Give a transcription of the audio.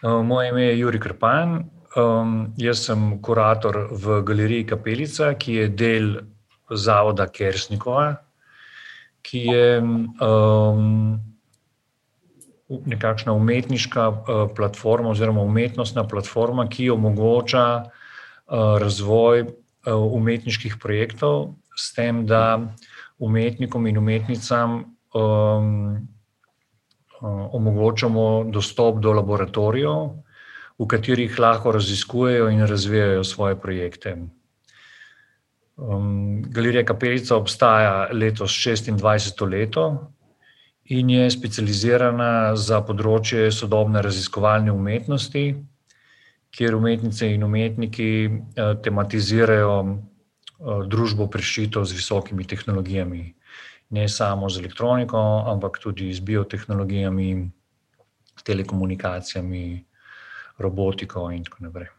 Moje ime je Jurij Krpan. Jaz sem kurator v galeriji Kapelica, ki je del zavoda Kersnikova, ki je nekakšna umetniška platforma oziroma umetnostna platforma, ki omogoča razvoj umetniških projektov s tem, da umetnikom in umetnicam omogočamo dostop do laboratorijev, v katerih lahko raziskujejo in razvijajo svoje projekte. Galerija Kapelica obstaja letos 26. leto in je specializirana za področje sodobne raziskovalne umetnosti, kjer umetnice in umetniki tematizirajo družbo prešito z visokimi tehnologijami. Ne samo z elektroniko, ampak tudi z biotehnologijami, telekomunikacijami, robotiko in tako naprej.